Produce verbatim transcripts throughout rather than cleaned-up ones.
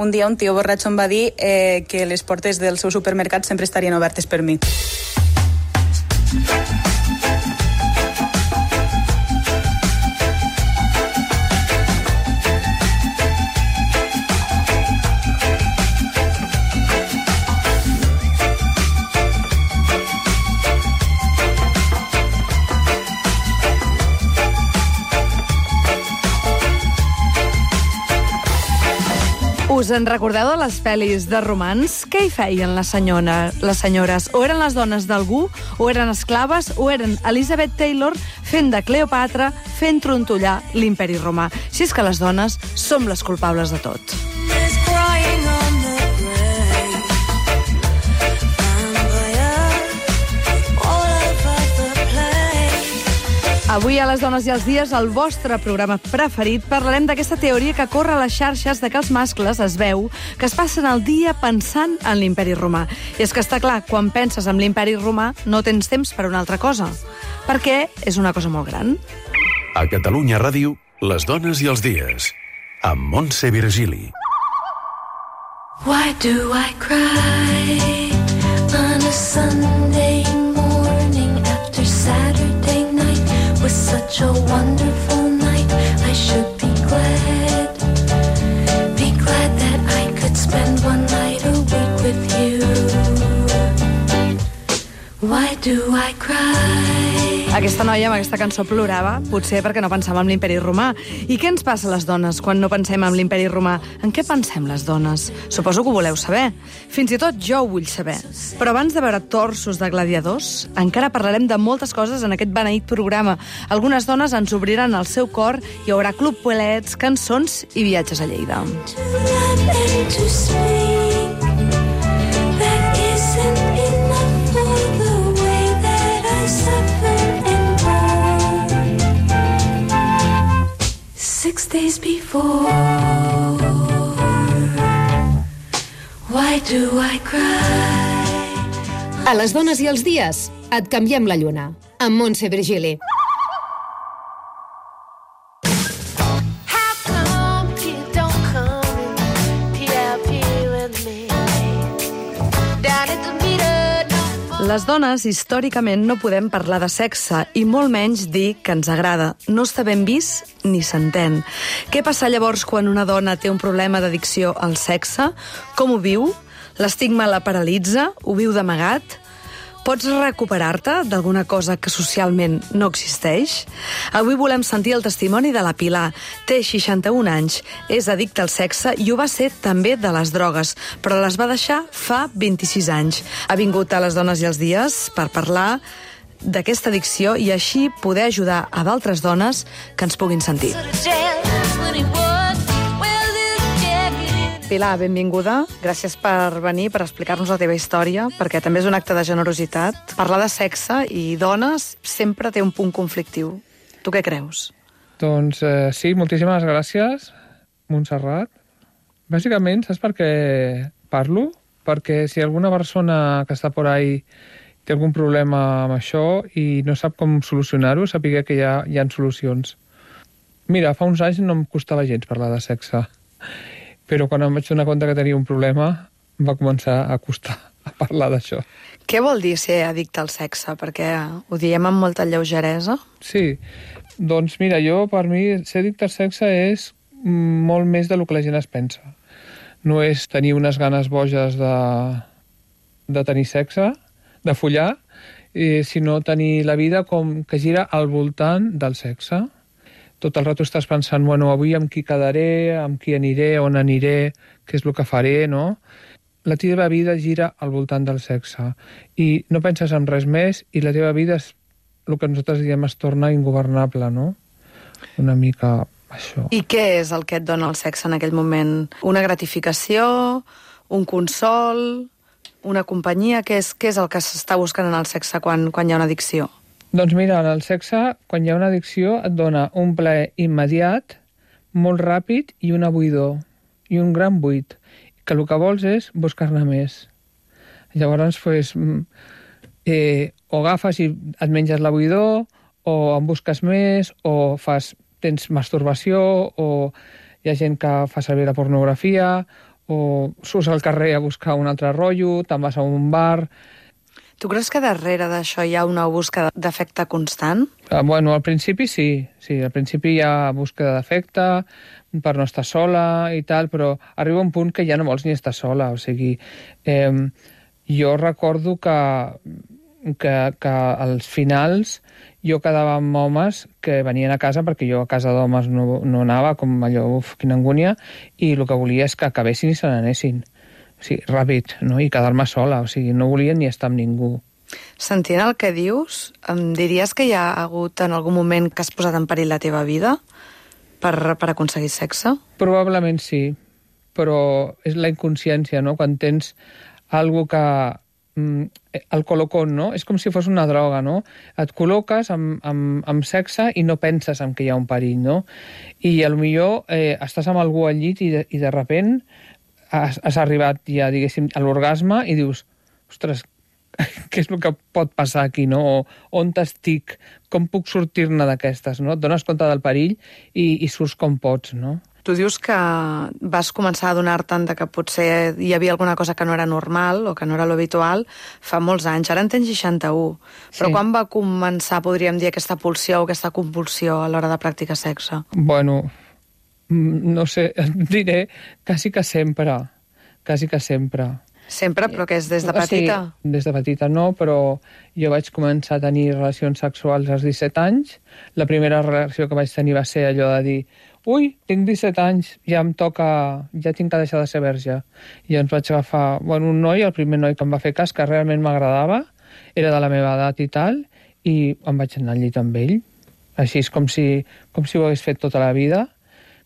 un dia un tio borratxo em va dir eh, que les portes del seu supermercat sempre estarien obertes per mi. Us en recordeu de les pel·lis de romans? Què hi feien les, senyora, les senyores? O eren les dones d'algú, o eren esclaves, o eren Elizabeth Taylor fent de Cleopatra, fent trontollar l'imperi romà. Si és que les dones som les culpables de tot. Avui a Les Dones i els Dies, el vostre programa preferit, parlarem d'aquesta teoria que corre a les xarxes de que els mascles es veu que es passen el dia pensant en l'imperi romà. I és que està clar, quan penses en l'imperi romà no tens temps per una altra cosa, perquè és una cosa molt gran. A Catalunya Ràdio, Les Dones i els Dies, amb Montse Virgili. Why do I cry on a Sunday morning after Saturday night was such a wonderful night? I should be glad, be glad that I could spend one night a week with you. Why do I cry? Aquesta noia amb aquesta cançó plorava, potser perquè no pensava en l'imperi romà. I què ens passa a les dones quan no pensem en l'imperi romà? En què pensem les dones? Suposo que ho voleu saber. Fins i tot jo ho vull saber. Però abans de veure torsos de gladiadors, encara parlarem de moltes coses en aquest beneït programa. Algunes dones ens obriran el seu cor, hi haurà club poelets, cançons i viatges a Lleida. Six days before, why do I cry? A Les Dones i els Dies, et canviem la lluna, amb Montse Virgili. Les dones, històricament, no podem parlar de sexe i molt menys dir que ens agrada. No està ben vist ni s'entén. Què passa llavors quan una dona té un problema d'addicció al sexe? Com ho viu? L'estigma la paralitza? Ho viu d'amagat? Pots recuperar-te d'alguna cosa que socialment no existeix? Avui volem sentir el testimoni de la Pilar. Té seixanta-un anys, és addicta al sexe i ho va ser també de les drogues, però les va deixar fa vint-i-sis anys. Ha vingut a Les Dones i els Dies per parlar d'aquesta addicció i així poder ajudar a d'altres dones que ens puguin sentir. Pilar, benvinguda. Gràcies per venir, per explicar-nos la teva història, perquè també és un acte de generositat. Parlar de sexe i dones sempre té un punt conflictiu. Tu què creus? Doncs eh, sí, moltíssimes gràcies, Montserrat. Bàsicament, saps per què parlo? Perquè si alguna persona que està por ahí té algun problema amb això i no sap com solucionar-ho, sàpiga que hi ha, hi ha solucions. Mira, fa uns anys no em costava gens parlar de sexe, però quan em vaig donar compte que tenia un problema, em va començar a costar a parlar d'això. Què vol dir ser addicte al sexe? Perquè ho diem amb molta lleugeresa. Sí, doncs mira, jo, per mi, ser addicte al sexe és molt més del que la gent es pensa. No és tenir unes ganes boges de, de tenir sexe, de follar, eh, sinó tenir la vida com que gira al voltant del sexe. Tot el rato estàs pensant, bueno, avui amb qui quedaré, amb qui aniré, on aniré, què és el que faré, no? La teva vida gira al voltant del sexe i no penses en res més i la teva vida, és el que nosaltres diem, es torna ingovernable, no? Una mica això. I què és el que et dona el sexe en aquell moment? Una gratificació? Un consol? Una companyia? Què és, què és el que s'està buscant en el sexe quan, quan hi ha una addicció? Doncs mira, en el sexe, quan hi ha una addicció, et dona un plaer immediat, molt ràpid i una buidor, i un gran buit, que el que vols és buscar-ne més. Llavors, pues, eh, o agafes i et menges la buidor, o en busques més, o fas, tens masturbació, o hi ha gent que fa servir la pornografia, o surts al carrer a buscar un altre rotllo, te'n vas a un bar. Tu creus que darrere d'això hi ha una búsqueda d'afecte constant? Uh, bueno, al principi sí, sí, al principi hi ha búsqueda d'afecte per no estar sola i tal, però arriba un punt que ja no vols ni estar sola, o sigui, eh, jo recordo que, que, que als finals jo quedava amb homes que venien a casa, perquè jo a casa d'homes no, no anava, com allò, uf, quina angúnia, i el que volia és que acabessin i se n'anessin. O sigui, ràpid, no? I quedar-me sola, o sigui, no volia ni estar amb ningú. Sentint el que dius, em diries que hi ha hagut en algun moment que has posat en perill la teva vida per, per aconseguir sexe? Probablement sí, però és la inconsciència, no? Quan tens algo que... el colocón, no? És com si fos una droga, no? Et col·loques amb, amb, amb sexe i no penses en que hi ha un perill, no? I potser eh, estàs amb algú al llit i de, i de repent has, has arribat ja, diguéssim, a l'orgasme i dius, ostres, què és el que pot passar aquí, no? O on estic? Com puc sortir-ne d'aquestes, no? Et dones compte del perill i, i surts com pots, no? Tu dius que vas començar a adonar-te'n que potser hi havia alguna cosa que no era normal o que no era l'habitual fa molts anys. Ara en tens seixanta-u. Però Sí. quan va començar, podríem dir, aquesta pulsió o aquesta compulsió a l'hora de practicar sexe? Bueno, no sé, et diré quasi que sempre, quasi que sempre. Sempre, però que és des de petita? O sigui, des de petita no, però jo vaig començar a tenir relacions sexuals als disset anys. La primera reacció que vaig tenir va ser allò de dir ui, tinc disset anys, ja em toca, ja tinc que deixar de ser verge. I ens vaig agafar, bueno, un noi, el primer noi que em va fer cas, que realment m'agradava, era de la meva edat i tal, i em vaig anar al llit amb ell. Així és com si, com si ho hagués fet tota la vida,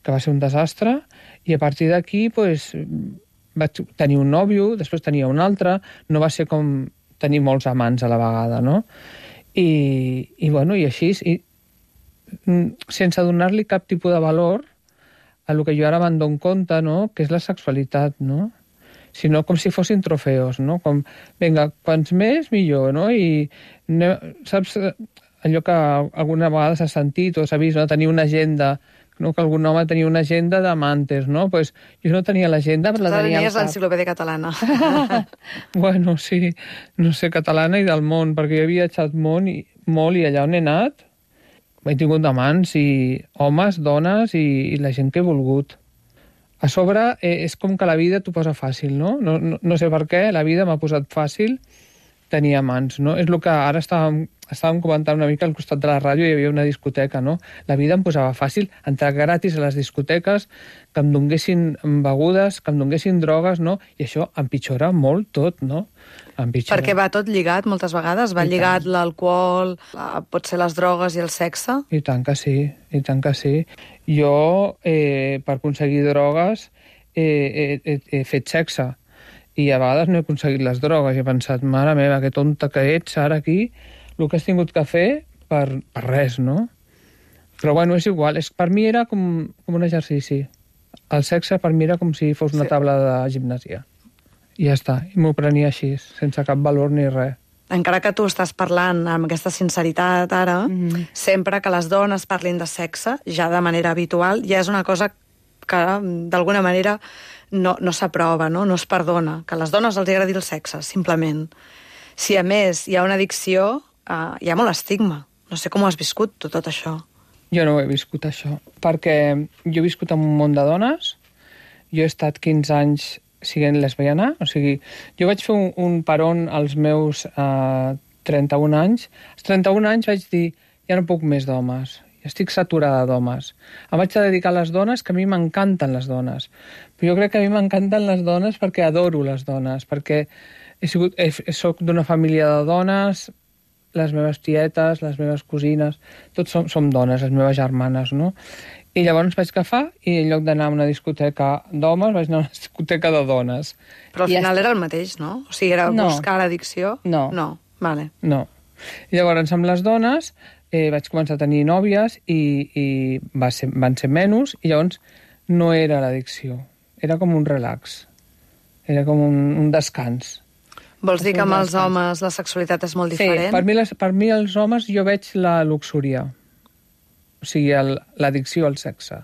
que va ser un desastre, i a partir d'aquí, pues, vaig tenir un nòvio, després tenia un altre, no va ser com tenir molts amants a la vegada, no? I, i bueno, i així, i, sense donar-li cap tipus de valor a lo que jo ara me'n dono compte, no? Que és la sexualitat, no? Sinó com si fossin trofeus, no? Com, vinga, quants més, millor, no? I saps allò que alguna vegada s'ha sentit o s'ha vist, no? Tenir una agenda, no? Que algun home tenia una agenda d'amantes, no? Pues jo no tenia l'agenda, però la tenia al Tenies cap. l'enciclopèdia catalana. Bueno, sí, no sé, catalana i del món, perquè jo he viatjat molt i, molt i allà on he anat he tingut amants i homes, dones i, i la gent que he volgut. A sobre, eh, és com que la vida t'ho posa fàcil, no? No, no? no sé per què, la vida m'ha posat fàcil tenir amants, no? És el que ara estàvem, estàvem comentant una mica al costat de la ràdio, hi havia una discoteca, no? La vida em posava fàcil entrar gratis a les discoteques, que em donguessin begudes, que em donguessin drogues, no? I això empitjora molt tot, no? Empitjora. Perquè va tot lligat moltes vegades, va I lligat tant. l'alcohol, la- potser les drogues i el sexe. I tant que sí, i tant que sí. Jo, eh, per aconseguir drogues, eh, he, he, he fet sexe. I a vegades no he aconseguit les drogues. I he pensat, mare meva, que tonta que ets ara aquí, el que has tingut que fer per, per res, no? Però bueno, és igual. És, per mi era com, com un exercici. El sexe per mi era com si fos una Sí. taula de gimnàsia. I ja està. I m'ho prenia així, sense cap valor ni res. Encara que tu estàs parlant amb aquesta sinceritat ara, Mhm. sempre que les dones parlin de sexe, ja de manera habitual, ja és una cosa que d'alguna manera no, no s'aprova, no? No es perdona. Que a les dones els agradi el sexe, simplement. Si a més hi ha una addicció, eh, hi ha molt estigma. No sé com ho has viscut, tu, tot això. Jo no ho he viscut, això, perquè jo he viscut en un món de dones, jo he estat quinze anys siguent lesbiana, o sigui, jo vaig fer un, un peron als meus eh, trenta-un anys. Als trenta-un anys vaig dir, ja no puc més d'homes, ja estic saturada d'homes. Em vaig dedicar a les dones, que a mi m'encanten les dones. Però jo crec que a mi m'encanten les dones perquè adoro les dones, perquè he sigut, he, soc d'una família de dones, les meves tietes, les meves cosines, tots som, som dones, les meves germanes, no? I llavors vaig agafar i en lloc d'anar a una discoteca d'homes vaig anar a una discoteca de dones. Però al I final ja era el mateix, no? O sigui, era No. buscar l'addicció? No. No, vale. No. I llavors amb les dones eh, vaig començar a tenir nòvies i, i va ser, van ser menys i llavors no era l'addicció, era com un relax, era com un, un descans. Vols dir que amb els descans. homes la sexualitat és molt Sí, diferent? per mi, les, per mi els homes jo veig la luxúria, o sigui, el- l'addicció al sexe,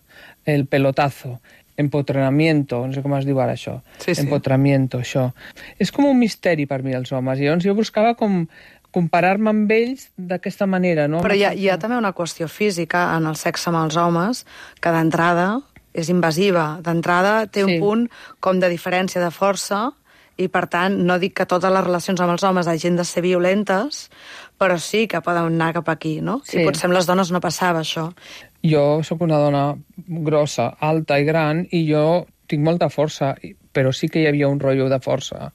el pelotazo, empotramiento, no sé com es diu ara això. Sí, sí. Empotramiento, això. És com un misteri per mi, els homes. I llavors jo buscava com comparar-me amb ells d'aquesta manera, no? Però hi ha, hi ha també una qüestió física en el sexe amb els homes, que d'entrada és invasiva. D'entrada té un Sí. punt com de diferència de força, i per tant no dic que totes les relacions amb els homes hagin de ser violentes, però sí que poden anar cap aquí, no? Sí. I potser amb les dones no passava això. Jo sóc una dona grossa, alta i gran, i jo tinc molta força, però sí que hi havia un rotllo de força.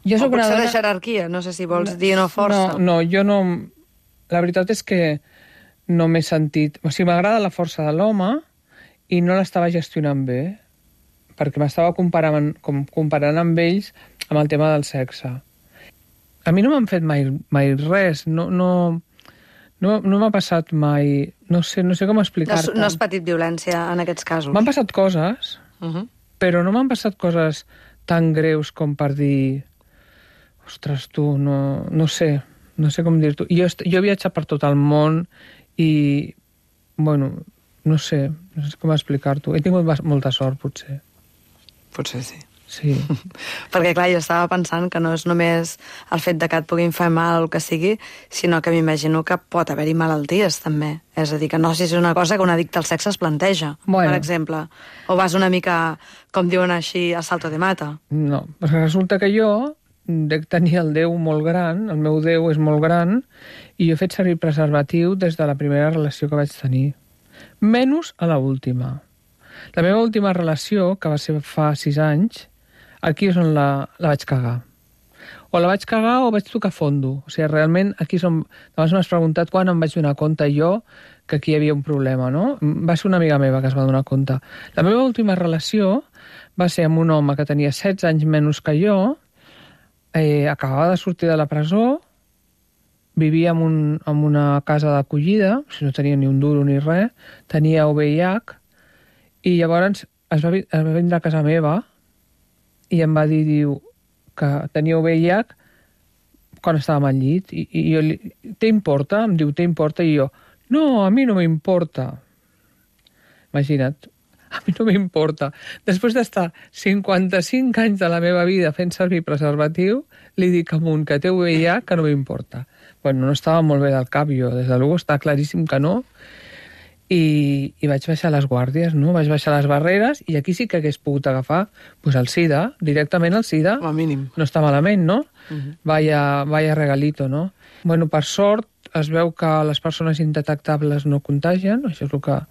Jo O sóc una potser dona... de jerarquia, no sé si vols dir no força. No, no, jo no... La veritat és que no m'he sentit... O sigui, m'agrada la força de l'home i no l'estava gestionant bé, perquè m'estava comparant, com, comparant amb ells amb el tema del sexe. A mi no m'han fet mai, mai res, no, no, no, no m'ha passat mai... No sé, no sé com No, has- explicar-te. no has patit violència en aquests casos. M'han passat coses, Uh -huh. però no m'han passat coses tan greus com per dir... Ostres, tu, no, no sé, no sé com dir-t'ho. Jo, est- jo he viatjat per tot el món i, bueno, no sé, no sé com explicar-t'ho. He tingut bas- molta sort, potser. Potser sí. Sí. Perquè, clar, jo estava pensant que no és només el fet de que et puguin fer mal o el que sigui, sinó que m'imagino que pot haver-hi malalties, també. És a dir, que no sé si és una cosa que un addicte al sexe es planteja, Bueno. per exemple. O vas una mica, com diuen així, a salto de mata. No, perquè resulta que jo dec tenir el Déu molt gran, el meu Déu és molt gran, i jo he fet servir preservatiu des de la primera relació que vaig tenir. Menys a la última. La meva última relació, que va ser fa sis anys, aquí és on la, la vaig cagar. O la vaig cagar o vaig tocar fondo. O sigui, realment, aquí és on... Abans m'has preguntat quan em vaig donar compte jo que aquí hi havia un problema, no? Va ser una amiga meva que es va donar compte. La meva última relació va ser amb un home que tenia setze anys menys que jo, eh, acabava de sortir de la presó, vivia en, un, en una casa d'acollida, o sigui, no tenia ni un duro ni res, tenia U V I H, i llavors es va, vi- es va vindre a casa meva i em va dir, diu, que tenia U V I H quan estàvem al llit, i, i jo li... T'importa? Em diu, t'importa? I jo, no, a mi no m'importa. Imagina't, a mi no m'importa. Després d'estar cinquanta-cinc anys de la meva vida fent servir preservatiu, li dic amunt que té U V I H que no m'importa. Bueno, no estava molt bé del cap jo, des de luego està claríssim que no, i, i vaig baixar les guàrdies, no? Vaig baixar les barreres i aquí sí que hagués pogut agafar pues, el SIDA, directament el SIDA. Com a mínim. No està malament, no? Uh-huh. Vaya, vaya regalito, no? Bueno, per sort, es veu que les persones indetectables no contagien, això és el que...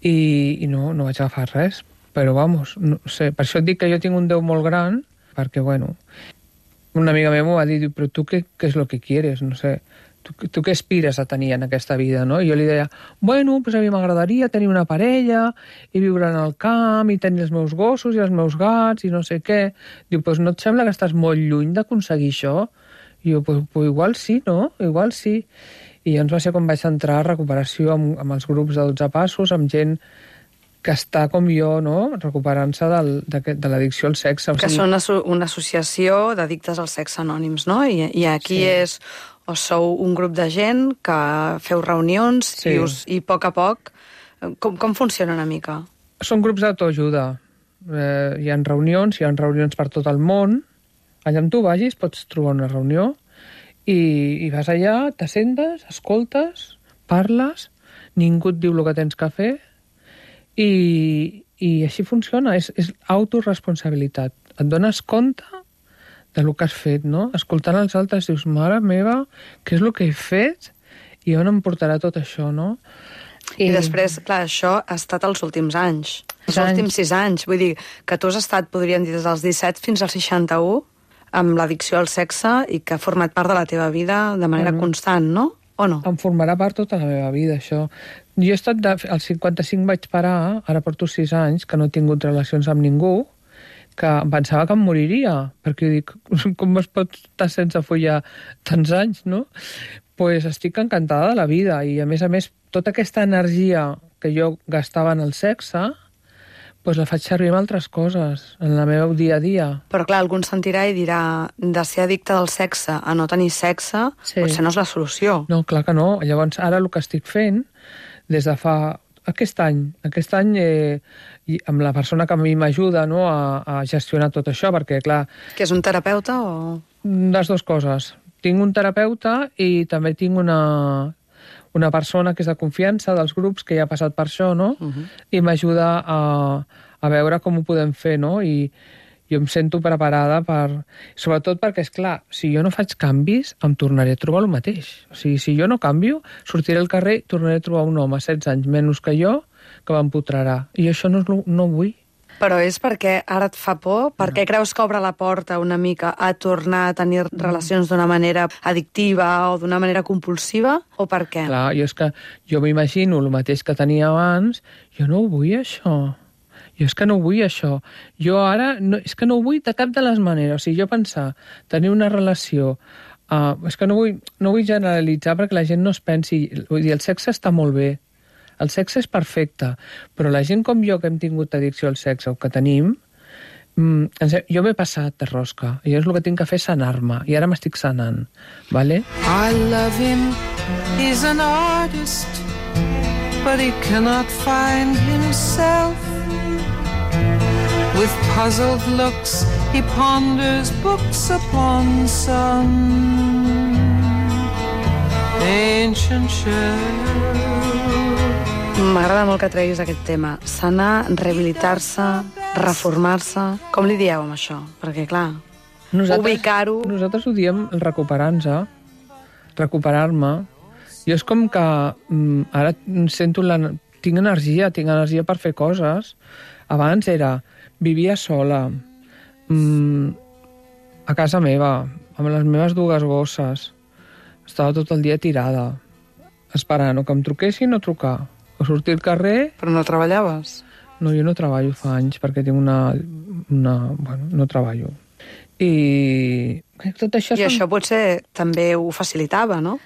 I, i no, no vaig agafar res. Però, vamos, no sé, per això et dic que jo tinc un Déu molt gran, perquè, bueno, una amiga meva m'ho va dir, però tu què, què és lo que quieres? No sé, tu, tu què aspires a tenir en aquesta vida, no? I jo li deia, bueno, pues a mi m'agradaria tenir una parella i viure en el camp i tenir els meus gossos i els meus gats i no sé què. Diu, pues no et sembla que estàs molt lluny d'aconseguir això? I jo, pues, pues igual sí, no? Igual sí. I llavors va ser quan vaig entrar a recuperació amb, amb els grups de dotze passos, amb gent que està com jo, no?, recuperant-se del, de, de l'addicció al sexe. O Que sigui, són una, asso- una associació d'addictes al sexe anònims, no? I, i aquí Sí. és... O sou un grup de gent que feu reunions Sí. i, us, i a poc a poc... Com, com funciona una mica? Són grups d'autoajuda. Eh, hi ha reunions, hi ha reunions per tot el món. Allà on tu vagis pots trobar una reunió i, i vas allà, t'assentes, escoltes, parles, ningú et diu el que tens que fer i, i així funciona. És, és autoresponsabilitat. Et dones compte de lo que has fet, no? Escoltant els altres dius, mare meva, què és el que he fet i on em portarà tot això, no? I, I després, clar, això ha estat els últims anys. Els Sis anys. últims sis anys. Vull dir que tu has estat, podríem dir, des dels disset fins als seixanta-u amb l'addicció al sexe i que ha format part de la teva vida de manera Bueno. constant, no? O no? Em formarà part tota la meva vida, això. Jo he estat... De, als cinquanta-cinc vaig parar, ara porto sis anys, que no he tingut relacions amb ningú, que em pensava que em moriria, perquè jo dic, com es pot estar sense follar tants anys, no? Pues estic encantada de la vida, i a més a més, tota aquesta energia que jo gastava en el sexe, pues la faig servir en altres coses, en la meva dia a dia. Però clar, algú ens sentirà i dirà de ser addicte del sexe a no tenir sexe, Sí. potser no és la solució. No, clar que no. Llavors, ara el que estic fent, des de fa Aquest any, aquest any eh, i amb la persona que a mi m'ajuda, no, a, a gestionar tot això, perquè, clar... Que és un terapeuta o...? Les dues coses. Tinc un terapeuta i també tinc una, una persona que és de confiança dels grups, que ja ha passat per això, no? Uh-huh. I m'ajuda a, a veure com ho podem fer, no? I jo em sento preparada per... Sobretot perquè, és clar, si jo no faig canvis, em tornaré a trobar el mateix. O sigui, si jo no canvio, sortiré al carrer i tornaré a trobar un home, setze anys menys que jo, que m'empotrarà. I això no, no vull. Però és perquè ara et fa por? Per què creus que obre la porta una mica a tornar a tenir relacions d'una manera addictiva o d'una manera compulsiva? O per què? Clar, jo és que jo m'imagino el mateix que tenia abans, jo no ho vull, això. Jo és que no vull això. Jo ara, no, és que no ho vull de cap de les maneres. O sigui, jo pensar, tenir una relació... Uh, és que no vull, no vull generalitzar perquè la gent no es pensi... Vull dir, el sexe està molt bé. El sexe és perfecte. Però la gent com jo, que hem tingut addicció al sexe o que tenim, mm, jo m'he passat de rosca. I jo és el que tinc que fer és sanar-me. I ara m'estic sanant. Vale? I love him, he's an artist, but he cannot find himself. With puzzled looks, he ponders books upon some ancient shelf. M'agrada molt que treguis aquest tema. Sanar, rehabilitar-se, reformar-se... Com li dieu amb això? Perquè, clar, ubicar-ho... Nosaltres ho diem recuperar-nos, recuperar-me. Jo és com que mm, ara sento la... Tinc energia, tinc energia per fer coses. Abans era... Vivia sola, mmm, a casa meva, amb les meves dues gosses. Estava tot el dia tirada, esperant o que em truquessin o trucar, o sortir al carrer... Però no treballaves? No, jo no treballo fa anys, perquè tinc una... una bueno, no treballo. I tot això... I són... això potser també ho facilitava, no?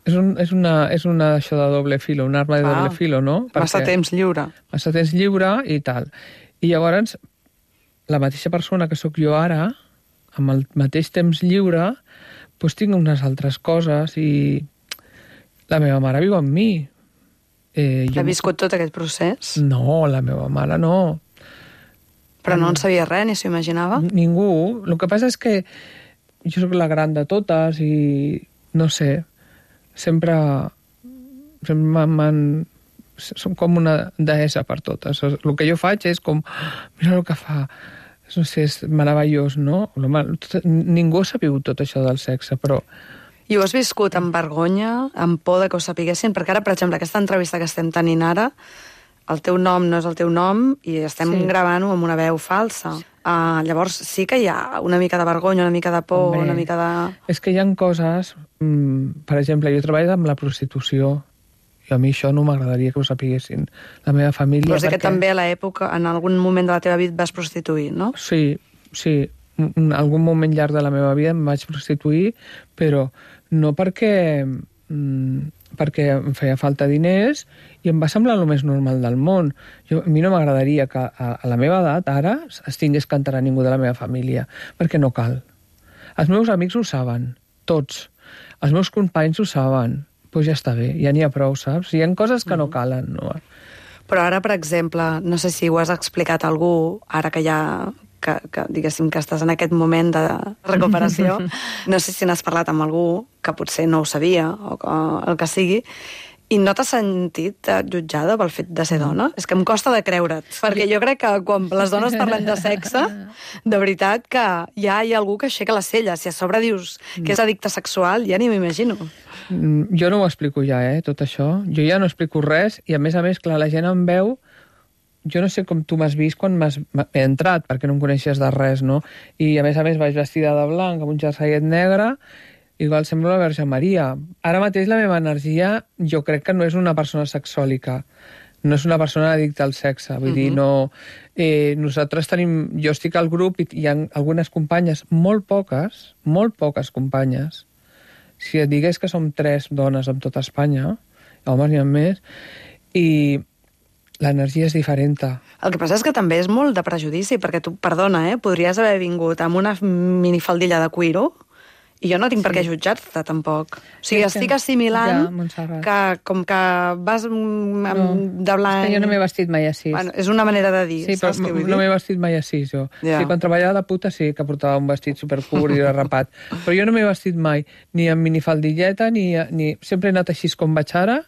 És, un, és, una, és una això de doble filo, un arma de ah, doble filo, no? Massa perquè... temps lliure. Massa temps lliure i tal. I llavors... la mateixa persona que sóc jo ara, amb el mateix temps lliure, doncs tinc unes altres coses i la meva mare viu amb mi. Eh, ha viscut tot aquest procés? No, la meva mare no. Però no en sabia res, ni s'ho imaginava? Ningú. El que passa és que jo sóc la gran de totes i, no sé, sempre, sempre m'han... Som com una deessa per totes. El que jo faig és com... Mira el que fa... No sé, és meravellós, no? Ningú ha sabut tot això del sexe, però... I ho has viscut amb vergonya, amb por de que ho sapiguessin? Perquè ara, per exemple, aquesta entrevista que estem tenint ara, el teu nom no és el teu nom i estem sí. gravant-ho amb una veu falsa. Uh, llavors sí que hi ha una mica de vergonya, una mica de por, Hombre, una mica de... És que hi ha coses... Mm, per exemple, jo treballo amb la prostitució. I a mi això no m'agradaria que ho sapiguessin. La meva família... Vols dir perquè... que també a l'època, en algun moment de la teva vida vas prostituir, no? Sí, sí. En algun moment llarg de la meva vida em vaig prostituir, però no perquè, mm, perquè em feia falta diners i em va semblar el més normal del món. Jo, a mi no m'agradaria que a, a la meva edat ara es tingués que enterar ningú de la meva família, perquè no cal. Els meus amics ho saben, tots. Els meus companys ho saben. Doncs ja està bé, ja n'hi ha prou, saps? Hi ha coses que no calen, no? Però ara, per exemple, no sé si ho has explicat a algú, ara que ja, que, que diguéssim que estàs en aquest moment de recuperació, no sé si n'has parlat amb algú que potser no ho sabia, o que, el que sigui, i no t'has sentit jutjada pel fet de ser dona? És que em costa de creure't, perquè jo crec que quan les dones parlem de sexe, de veritat que ja hi ha algú que aixeca les celles. Si a sobre dius que és addicte sexual, ja ni m'imagino. Jo no ho explico ja, eh, tot això. Jo ja no explico res i, a més a més, clar, la gent em veu... Jo no sé com tu m'has vist quan m'has he entrat, perquè no em coneixies de res, no? I, a més a més, vaig vestida de blanc, amb un jerseillet negre, igual sembla la Verge Maria. Ara mateix la meva energia jo crec que no és una persona sexòlica, no és una persona addicta al sexe, vull uh-huh. dir, no... Eh, nosaltres tenim... Jo estic al grup i hi ha algunes companyes, molt poques, molt poques companyes. Si et digués que som tres dones en tota Espanya, homes n'hi ha més, i l'energia és diferent. El que passa és que també és molt de prejudici, perquè tu, perdona, eh, podries haver vingut amb una minifaldilla de cuiro I jo no tinc sí. per què jutjar-te, tampoc. O sigui, és estic que... assimilant ja, Montserrat. que com que vas amb, no, de blanc... És que jo no m'he vestit mai així. Bueno, és una manera de dir, sí, saps què vull dir? No m'he vestit mai així, jo. Ja. Sí, quan treballava de puta sí que portava un vestit supercurt i rapat. Però jo no m'he vestit mai, ni amb minifaldilleta, ni, ni... Sempre he anat així com vaig ara,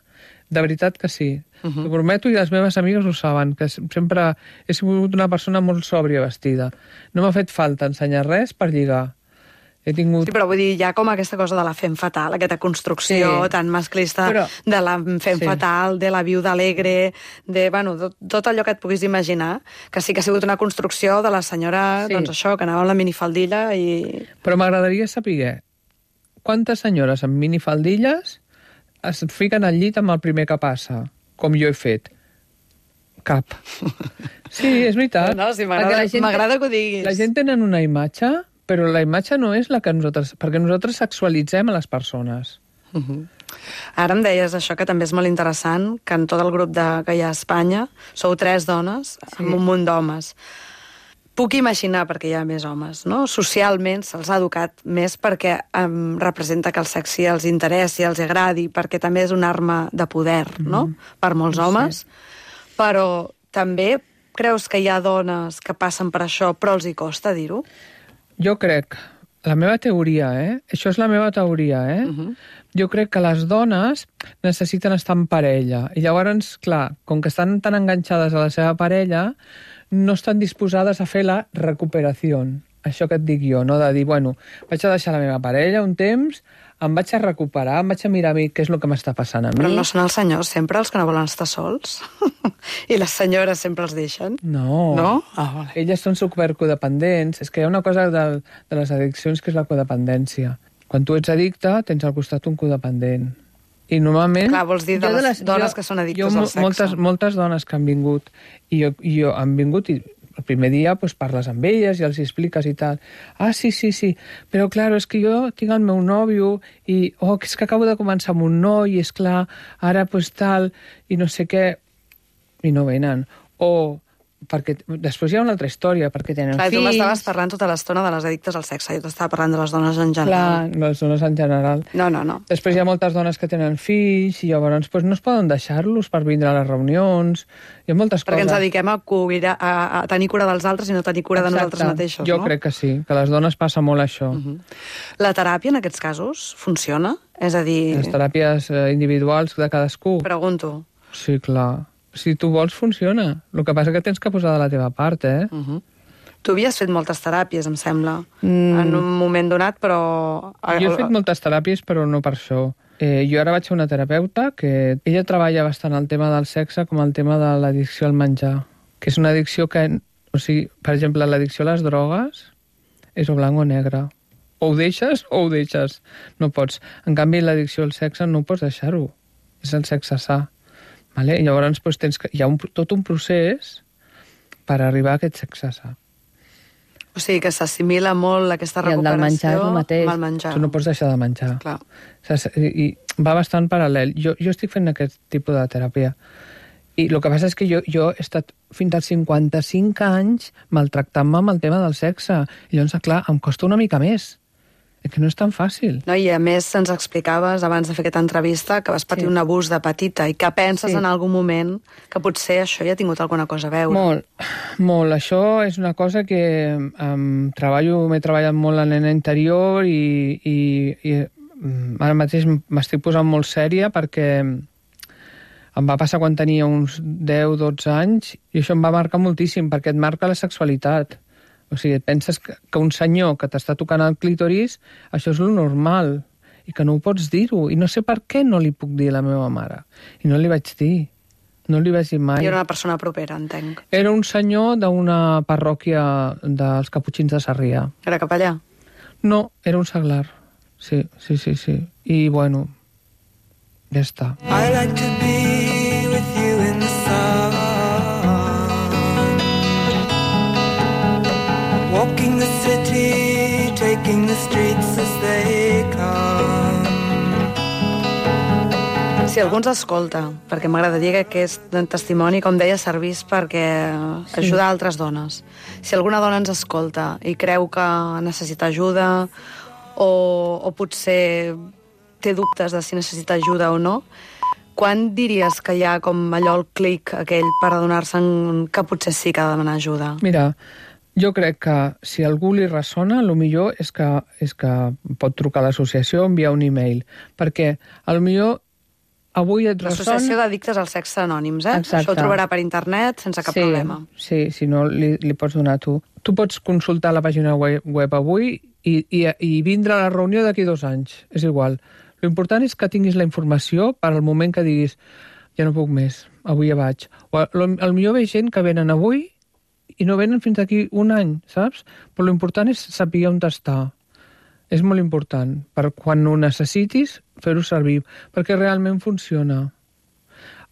de veritat que sí. Uh -huh. T'ho prometo i les meves amigues ho saben, que sempre he sigut una persona molt sòbria vestida. No m'ha fet falta ensenyar res per lligar. He tingut... Sí, però vull dir, hi ha com aquesta cosa de la fem fatal, aquesta construcció sí. tan masclista però... de la fem sí. fatal, de la viuda alegre, de, bueno, tot, tot allò que et puguis imaginar, que sí que ha sigut una construcció de la senyora, sí. doncs això, que anava amb la minifaldilla i... Però m'agradaria saber quantes senyores amb minifaldilles es fiquen al llit amb el primer que passa, com jo he fet. Cap. Sí, és veritat. No, sí, m'agrada gent... que ho diguis. La gent tenen una imatge... Però la imatge no és la que nosaltres... Perquè nosaltres sexualitzem a les persones. Uh -huh. Ara em deies això, que també és molt interessant, que en tot el grup de, que hi ha a Espanya sou tres dones sí. amb un munt d'homes. Puc imaginar perquè hi ha més homes, no? Socialment se'ls ha educat més perquè em representa que el sexe els interessi, els agradi, perquè també és una arma de poder, no? Mm. Per molts no homes. Sé. Però també creus que hi ha dones que passen per això però els hi costa dir-ho? Jo crec, la meva teoria, eh? Això és la meva teoria, eh? Uh-huh. Jo crec que les dones necessiten estar en parella. I llavors, clar, com que estan tan enganxades a la seva parella, no estan disposades a fer la recuperació. Això que et dic jo, no? De dir, bueno, vaig a deixar la meva parella un temps, em vaig a recuperar, em vaig a mirar a mi què és el que m'està passant a mi. Però no són els senyors sempre els que no volen estar sols? I les senyores sempre els deixen? No. No? Ah, vale. Elles són supercodependents. És que hi ha una cosa de, de les addiccions que és la codependència. Quan tu ets addicte, tens al costat un codependent. I normalment... Clar, vols dir de les, de les dones jo, que són addictes jo, al sexe. Moltes, moltes dones que han vingut, i jo, i jo han vingut i el primer dia pues, parles amb elles i els expliques i tal. Ah, sí, sí, sí, però clar, és que jo tinc el meu nòvio i oh, és que acabo de començar amb un noi i és clar, ara pues, tal, i no sé què, i no venen. O perquè després hi ha una altra història, perquè tenen clar, fills... Tu m'estaves parlant tota l'estona de les addictes al sexe, jo t'estava parlant de les dones en general. Clar, les dones en general. No, no, no. Després hi ha moltes dones que tenen fills i llavors pues, no es poden deixar-los per vindre a les reunions. Hi ha moltes perquè coses. Perquè ens dediquem a, cuidar, a, a tenir cura dels altres i no tenir cura Exacte. de nosaltres mateixos, jo no? Jo crec que sí, que a les dones passa molt això. Uh -huh. La teràpia en aquests casos funciona? És a dir... Les teràpies individuals de cadascú? Pregunto. Sí, clar. Si tu vols, funciona. El que passa és que tens que posar de la teva part, eh? Uh -huh. Tu havies fet moltes teràpies, em sembla, mm. en un moment donat, però... Jo he fet moltes teràpies, però no per això. Eh, jo ara vaig a una terapeuta que ella treballa bastant el tema del sexe com el tema de l'addicció al menjar, que és una addicció que... O sigui, per exemple, l'addicció a les drogues és o blanc o negre. O ho deixes o ho deixes. No pots. En canvi, l'addicció al sexe no pots deixar-ho. És el sexe sa. Vale? I llavors doncs, tens que... hi ha un, tot un procés per arribar a aquest sexe sa. O sigui, que s'assimila molt aquesta recuperació... I el del menjar és el mateix. Amb el menjar. Tu no pots deixar de menjar. Clar. I, I va bastant paral·lel. Jo, jo estic fent aquest tipus de teràpia. I el que passa és que jo, jo he estat fins als cinquanta-cinc anys maltractant-me amb el tema del sexe. I llavors, clar, em costa una mica més. És que no és tan fàcil. No, i a més ens explicaves abans de fer aquesta entrevista que vas patir sí. un abús de petita i que penses sí. en algun moment que potser això ja ha tingut alguna cosa a veure. Molt, molt. Això és una cosa que um, treballo, m'he treballat molt en la nena interior i, i, i um, ara mateix m'estic posant molt sèria perquè em va passar quan tenia uns deu dotze anys i això em va marcar moltíssim perquè et marca la sexualitat. O sigui, et penses que, que un senyor que t'està tocant el clítoris, això és lo normal, i que no ho pots dir-ho. I no sé per què no li puc dir a la meva mare. I no li vaig dir. No li vaig dir mai. I era una persona propera, entenc. Era un senyor d'una parròquia dels Caputxins de Sarrià. Era capellà? No, era un seglar. Sí, sí, sí, sí. I, bueno, ja està. I like to be with you in the sun, walking the city, taking the streets as they come. Si algú ens escolta, perquè m'agradaria que aquest testimoni, com deia, servís perquè sí. ajudar altres dones. Si alguna dona ens escolta i creu que necessita ajuda o, o potser té dubtes de si necessita ajuda o no, quan diries que hi ha com allò el clic aquell per adonar-se que potser sí que ha de demanar ajuda? Mira, jo crec que si a algú li ressona, el millor és que, és que pot trucar a l'associació o enviar un e-mail, perquè a lo millor avui et ressona... L'Associació d'Addictes al Sexe Anònims, eh? Exacte. Això ho trobarà per internet sense cap sí, problema. Sí, si no li, li pots donar tu. Tu pots consultar la pàgina web, web avui i, i, i vindre a la reunió d'aquí dos anys, és igual. L'important és que tinguis la informació per al moment que diguis ja no puc més, avui ja vaig. O al millor ve gent que venen avui i no venen fins aquí un any, saps? Però l'important és saber on està. És molt important, per quan ho necessitis, fer-ho servir, perquè realment funciona.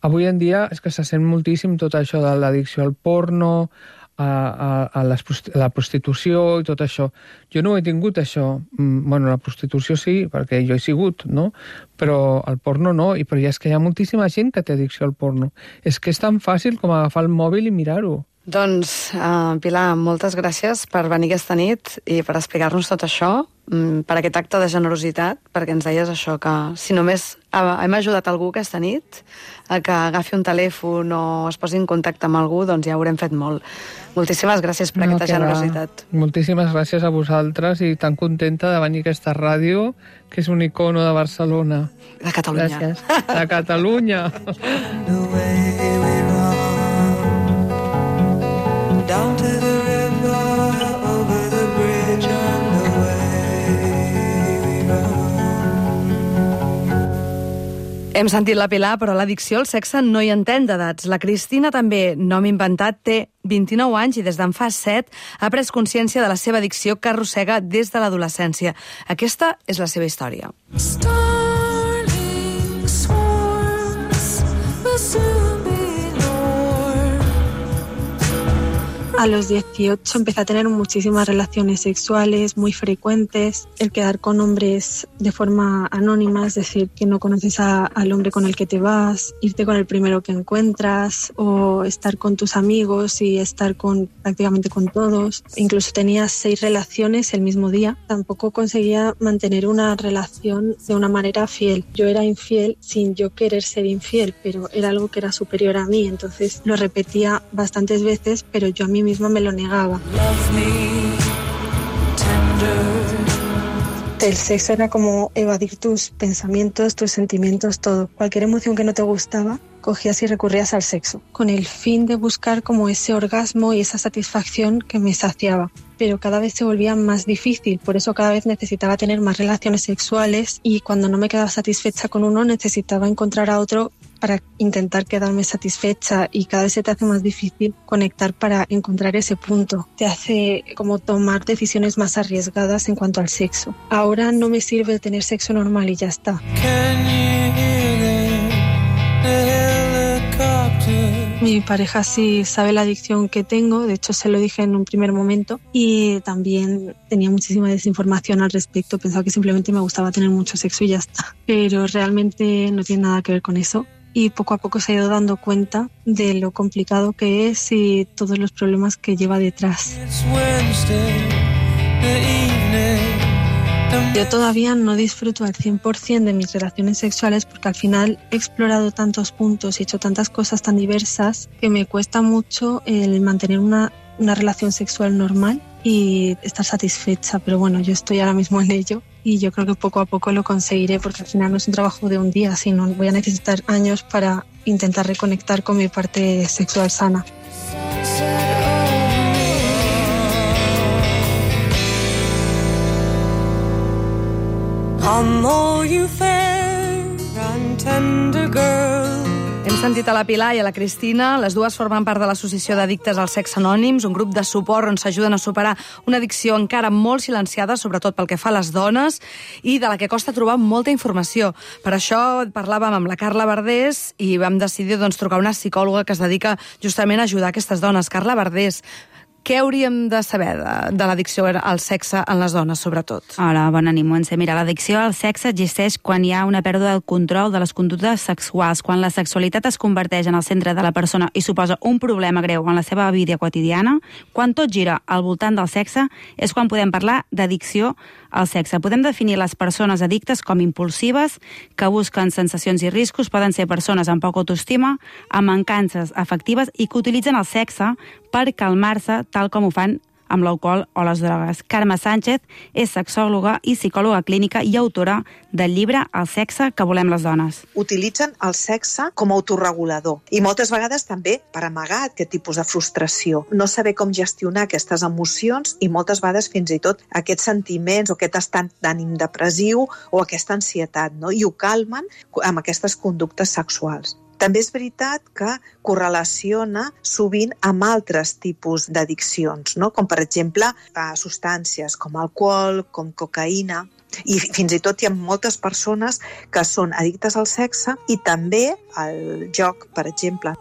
Avui en dia és que se sent moltíssim tot això de l'addicció al porno, a, a, a les, la prostitució i tot això. Jo no ho he tingut, això. Bueno, la prostitució sí, perquè jo he sigut, no? Però el porno no, i però ja és que hi ha moltíssima gent que té addicció al porno. És que és tan fàcil com agafar el mòbil i mirar-ho. Doncs, uh, Pilar, moltes gràcies per venir aquesta nit i per explicar-nos tot això, per aquest acte de generositat, perquè ens deies això, que si només hem ajudat algú aquesta nit a que agafi un telèfon o es posi en contacte amb algú, doncs ja haurem fet molt. Moltíssimes gràcies per no, aquesta generositat. Va. Moltíssimes gràcies a vosaltres i tan contenta de venir a aquesta ràdio, que és un icono de Barcelona. De Catalunya. Gràcies. De Catalunya. Down to the river, over the bridge and away we run. Hem sentit la Pilar, però l'addicció al sexe no hi entén d'edats. La Cristina també, nom inventat, té vint-i-nou anys i des d'en fa set ha pres consciència de la seva addicció que arrossega des de l'adolescència. Aquesta és la seva història. Starling swarms will soon be A los dieciocho empecé a tener muchísimas relaciones sexuales muy frecuentes, el quedar con hombres de forma anónima, es decir, que no conoces a, al hombre con el que te vas, irte con el primero que encuentras o estar con tus amigos y estar con prácticamente con todos. Incluso tenía seis relaciones el mismo día. Tampoco conseguía mantener una relación de una manera fiel. Yo era infiel sin yo querer ser infiel, pero era algo que era superior a mí, entonces lo repetía bastantes veces, pero yo a mí misma me lo negaba. El sexo era como evadir tus pensamientos, tus sentimientos, todo. Cualquier emoción que no te gustaba, cogías y recurrías al sexo, con el fin de buscar como ese orgasmo y esa satisfacción que me saciaba. Pero cada vez se volvía más difícil, por eso cada vez necesitaba tener más relaciones sexuales y cuando no me quedaba satisfecha con uno necesitaba encontrar a otro para intentar quedarme satisfecha y cada vez se te hace más difícil conectar para encontrar ese punto. Te hace como tomar decisiones más arriesgadas en cuanto al sexo. Ahora no me sirve tener sexo normal y ya está. Mi pareja sí sabe la adicción que tengo, de hecho se lo dije en un primer momento y también tenía muchísima desinformación al respecto, pensaba que simplemente me gustaba tener mucho sexo y ya está, pero realmente no tiene nada que ver con eso y poco a poco se ha ido dando cuenta de lo complicado que es y todos los problemas que lleva detrás. Yo todavía no disfruto al cien por ciento de mis relaciones sexuales porque al final he explorado tantos puntos y he hecho tantas cosas tan diversas que me cuesta mucho el mantener una, una relación sexual normal y estar satisfecha. Pero bueno, yo estoy ahora mismo en ello y yo creo que poco a poco lo conseguiré porque al final no es un trabajo de un día, sino voy a necesitar años para intentar reconectar con mi parte sexual sana. I'm all you fair and tender girl. Hem sentit a la Pilar i a la Cristina. Les dues formen part de l'Associació d'Addictes al Sexe Anònims, un grup de suport on s'ajuden a superar una addicció encara molt silenciada, sobretot pel que fa a les dones, i de la que costa trobar molta informació. Per això parlàvem amb la Carla Verdés i vam decidir doncs, trucar una psicòloga que es dedica justament a ajudar aquestes dones. Carla Verdés, Què hauríem de saber de, de l'addicció al sexe en les dones, sobretot? Hola, bona nit, Montse. Mira, l'addicció al sexe existeix quan hi ha una pèrdua del control de les conductes sexuals, quan la sexualitat es converteix en el centre de la persona i suposa un problema greu en la seva vida quotidiana. Quan tot gira al voltant del sexe és quan podem parlar d'addicció al sexe. Podem definir les persones addictes com impulsives, que busquen sensacions i riscos, poden ser persones amb poca autoestima, amb mancances afectives i que utilitzen el sexe per calmar-se, tal com ho fan amb l'alcohol o les drogues. Carme Sánchez és sexòloga i psicòloga clínica i autora del llibre El sexe que volem les dones. Utilitzen el sexe com a autorregulador i moltes vegades també per amagar aquest tipus de frustració. No saber com gestionar aquestes emocions i moltes vegades fins i tot aquests sentiments o aquest estat d'ànim depressiu o aquesta ansietat, no? I ho calmen amb aquestes conductes sexuals. També és veritat que correlaciona sovint amb altres tipus d'addiccions, no? Com per exemple a substàncies com alcohol, com cocaïna, i fins i tot hi ha moltes persones que són addictes al sexe i també al joc, per exemple.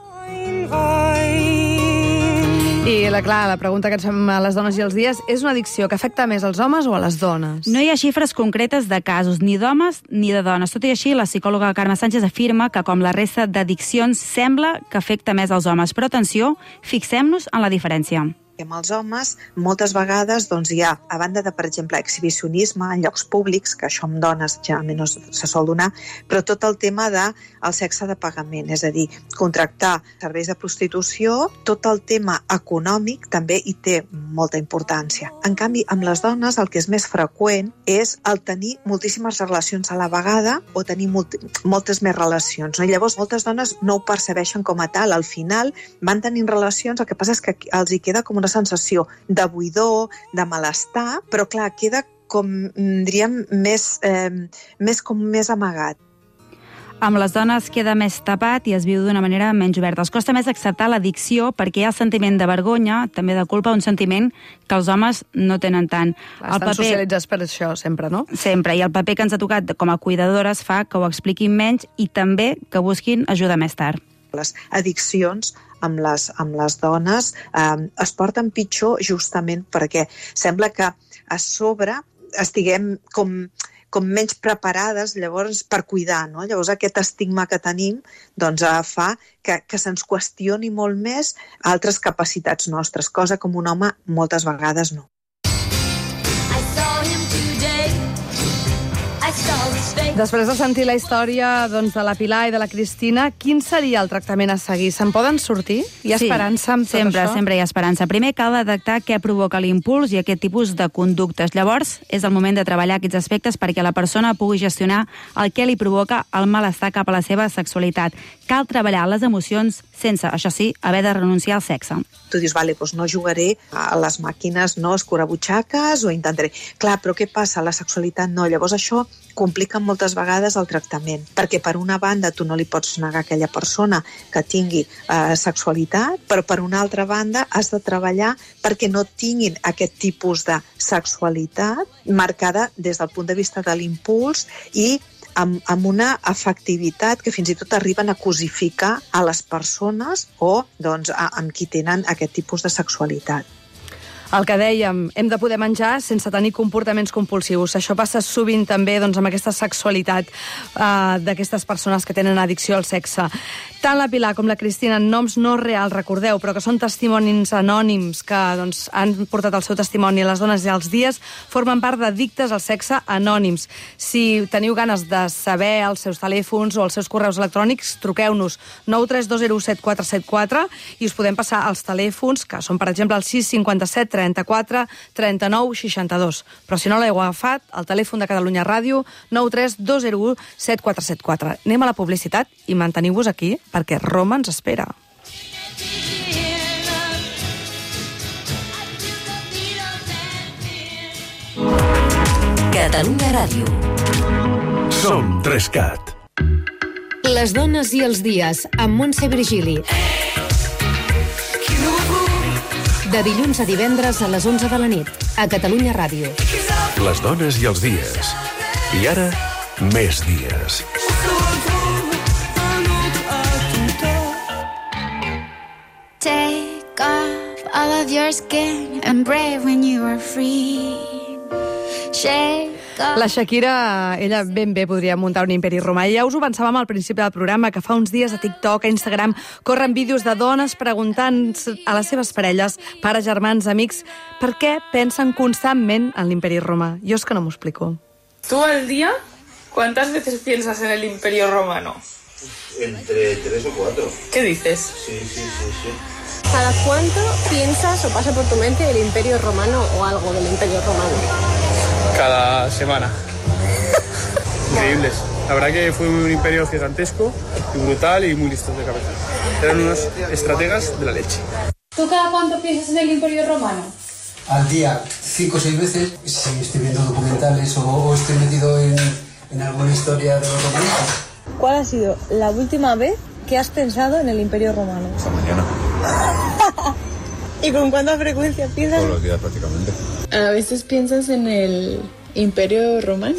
I la, clar, la pregunta que ens fem a les dones i els dies, és una addicció que afecta més als homes o a les dones? No hi ha xifres concretes de casos, ni d'homes ni de dones. Tot i així, la psicòloga Carme Sánchez afirma que, com la resta d'addiccions, sembla que afecta més als homes. Però atenció, fixem-nos en la diferència. Amb els homes, moltes vegades doncs, hi ha, a banda de, per exemple, exhibicionisme en llocs públics, que això amb dones generalment no se sol donar, però tot el tema del sexe de pagament, és a dir, contractar serveis de prostitució, tot el tema econòmic també hi té molta importància. En canvi, amb les dones el que és més freqüent és el tenir moltíssimes relacions a la vegada o tenir molt, moltes més relacions. No? I llavors, moltes dones no ho percebeixen com a tal. Al final van tenint relacions, el que passa és que els hi queda com una sensació de buidor, de malestar, però clar, queda com, diríem, més, eh, més com més amagat. Amb les dones queda més tapat i es viu d'una manera menys oberta. Els costa més acceptar l'addicció perquè hi ha el sentiment de vergonya, també de culpa, un sentiment que els homes no tenen tant. Estan el paper... socialitzats per això, sempre, no? Sempre, i el paper que ens ha tocat com a cuidadores fa que ho expliquin menys i també que busquin ajuda més tard. Les addiccions amb les, amb les dones eh, es porten pitjor justament perquè sembla que a sobre estiguem com, com menys preparades llavors per cuidar, no? Llavors aquest estigma que tenim doncs, eh, fa que, que se'ns qüestioni molt més altres capacitats nostres, cosa com un home moltes vegades no. Després de sentir la història doncs, de la Pilar i de la Cristina, quin seria el tractament a seguir? Se'n poden sortir? Hi ha sí, esperança amb tot sempre, això? Sempre hi ha esperança. Primer cal detectar què provoca l'impuls i aquest tipus de conductes. Llavors, és el moment de treballar aquests aspectes perquè la persona pugui gestionar el que li provoca el malestar cap a la seva sexualitat. Cal treballar les emocions sense, això sí, haver de renunciar al sexe. Tu dius, vale, doncs no jugaré a les màquines, no escurabutxaques o intentaré... Clar, però què passa? La sexualitat no. Llavors això complica moltes vegades el tractament, perquè per una banda tu no li pots negar a aquella persona que tingui eh, sexualitat, però per una altra banda has de treballar perquè no tinguin aquest tipus de sexualitat marcada des del punt de vista de l'impuls i amb, amb una afectivitat que fins i tot arriben a cosificar a les persones o doncs, a, amb qui tenen aquest tipus de sexualitat. El que dèiem, hem de poder menjar sense tenir comportaments compulsius. Això passa sovint també doncs, amb aquesta sexualitat uh, d'aquestes persones que tenen addicció al sexe. Tant la Pilar com la Cristina, noms no reals, recordeu, però que són testimonis anònims que doncs, han portat el seu testimoni a les dones i als dies, formen part d'addictes al sexe anònims. Si teniu ganes de saber els seus telèfons o els seus correus electrònics, truqueu-nos nou tres dos zero set quatre set quatre i us podem passar els telèfons, que són, per exemple, el sis cinquanta-set trenta-quatre trenta-nou seixanta-dos. Però si no l'heu agafat, el telèfon de Catalunya Ràdio, nou tres dos zero set quatre set quatre. Anem a la publicitat i manteniu-vos aquí, perquè Roma ens espera. Catalunya Ràdio. Som Trescat. Les dones i els dies, amb Montse Virgili. De dilluns a divendres a les onze de la nit, a Catalunya Ràdio. Les dones i els dies. I ara, més dies. Take off all of of your skin and brave when you are free. Shake La Shakira, ella ben bé podria muntar un imperi romà. I ja us ho pensàvem al principi del programa, que fa uns dies a TikTok, a Instagram, corren vídeos de dones preguntant a les seves parelles, pares, germans, amics, per què pensen constantment en l'imperi romà. Jo és que no m'ho explico. ¿Tú al día cuántas veces piensas en el Imperio Romano? Entre tres o cuatro. ¿Qué dices? Sí, sí, sí, sí. ¿Cada cuánto piensas o pasa por tu mente el Imperio Romano o algo del Imperio Romano? Cada semana. Increíbles. La verdad que fue un imperio gigantesco y brutal y muy listos de cabeza. Eran unos estrategas de la leche. ¿Tú cada cuánto piensas en el Imperio Romano? Al día, cinco o seis veces. Si estoy viendo documentales o, o estoy metido en, en alguna historia de los romanos. ¿Cuál ha sido la última vez que has pensado en el Imperio Romano? Esta mañana. ¿Y con cuánta frecuencia piensas? Todos los días prácticamente. A veces piensas en el Imperio Romano.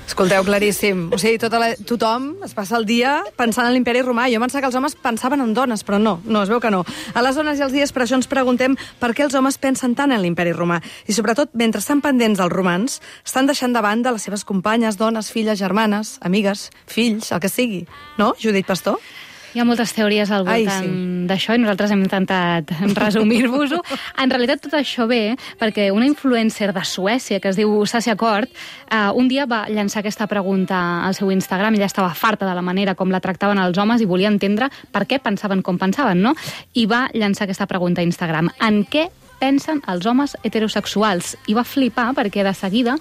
Escolteu, claríssim. O sigui, tota la, tothom es passa el dia pensant en l'imperi romà. Jo pensava que els homes pensaven en dones, però no, no, es veu que no. A les dones i els dies per això ens preguntem per què els homes pensen tant en l'imperi romà. I sobretot, mentre estan pendents dels romans, estan deixant de banda les seves companyes, dones, filles, germanes, amigues, fills, el que sigui. No, Judit Pastor? Hi ha moltes teories al voltant sí. d'això i nosaltres hem intentat resumir-vos-ho. En realitat tot això ve perquè una influencer de Suècia que es diu Sasha Kort eh, un dia va llançar aquesta pregunta al seu Instagram. Ella estava farta de la manera com la tractaven els homes i volia entendre per què pensaven com pensaven, no? I va llançar aquesta pregunta a Instagram. En què pensen els homes heterosexuals? I va flipar perquè de seguida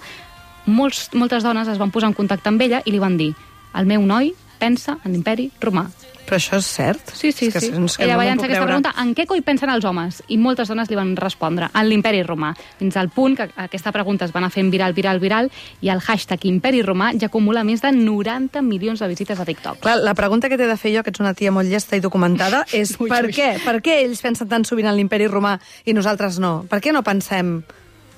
molts, moltes dones es van posar en contacte amb ella i li van dir: el meu noi pensa en l'imperi romà. Però això és cert? Sí, sí, és que sí. És que Ella no va llançar aquesta veure. pregunta: en què coi pensen els homes? I moltes dones li van respondre: en l'imperi romà. Fins al punt que aquesta pregunta es va anar fent viral, viral, viral, i el hashtag imperi romà ja acumula més de noranta milions de visites a TikTok. Clar, la pregunta que t'he de fer jo, que ets una tia molt llesta i documentada, és ui, per ui. què? Per què ells pensen tan sovint en l'imperi romà i nosaltres no? Per què no pensem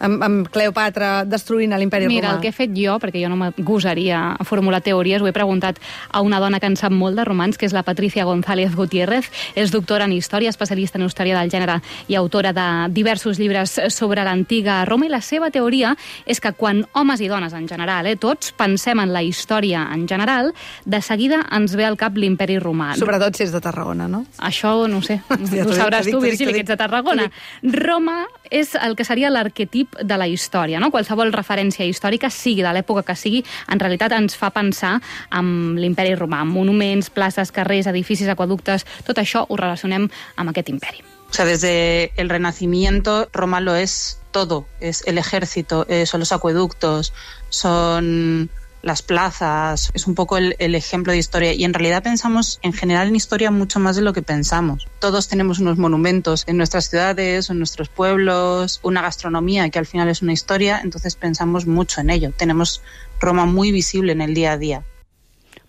amb, amb Cleopatra destruint l'imperi romà? Mira, el que he fet jo, perquè jo no me gosaria a formular teories, ho he preguntat a una dona que en sap molt de romans, que és la Patricia González Gutiérrez. És doctora en història, especialista en història del gènere i autora de diversos llibres sobre l'antiga Roma, i la seva teoria és que quan homes i dones en general, eh, tots pensem en la història en general, de seguida ens ve al cap l'imperi romà. Sobretot si és de Tarragona, no? Això no sé, ja ho sabràs tu, Virgili, que ets de Tarragona. Roma és el que seria l'arquetip de la història, no? Qualsevol referència històrica, sigui de l'època que sigui, en realitat ens fa pensar en l'imperi romà, en monuments, places, carrers, edificis, aqueductes, tot això ho relacionem amb aquest imperi. O sea, desde el Renacimiento, Roma lo es todo. Es el ejército, eh, son los acueductos, son las plazas, es un poco el, el ejemplo de historia. Y en realidad pensamos en general en historia mucho más de lo que pensamos. Todos tenemos unos monumentos en nuestras ciudades, en nuestros pueblos, una gastronomía que al final es una historia, entonces pensamos mucho en ello. Tenemos Roma muy visible en el día a día.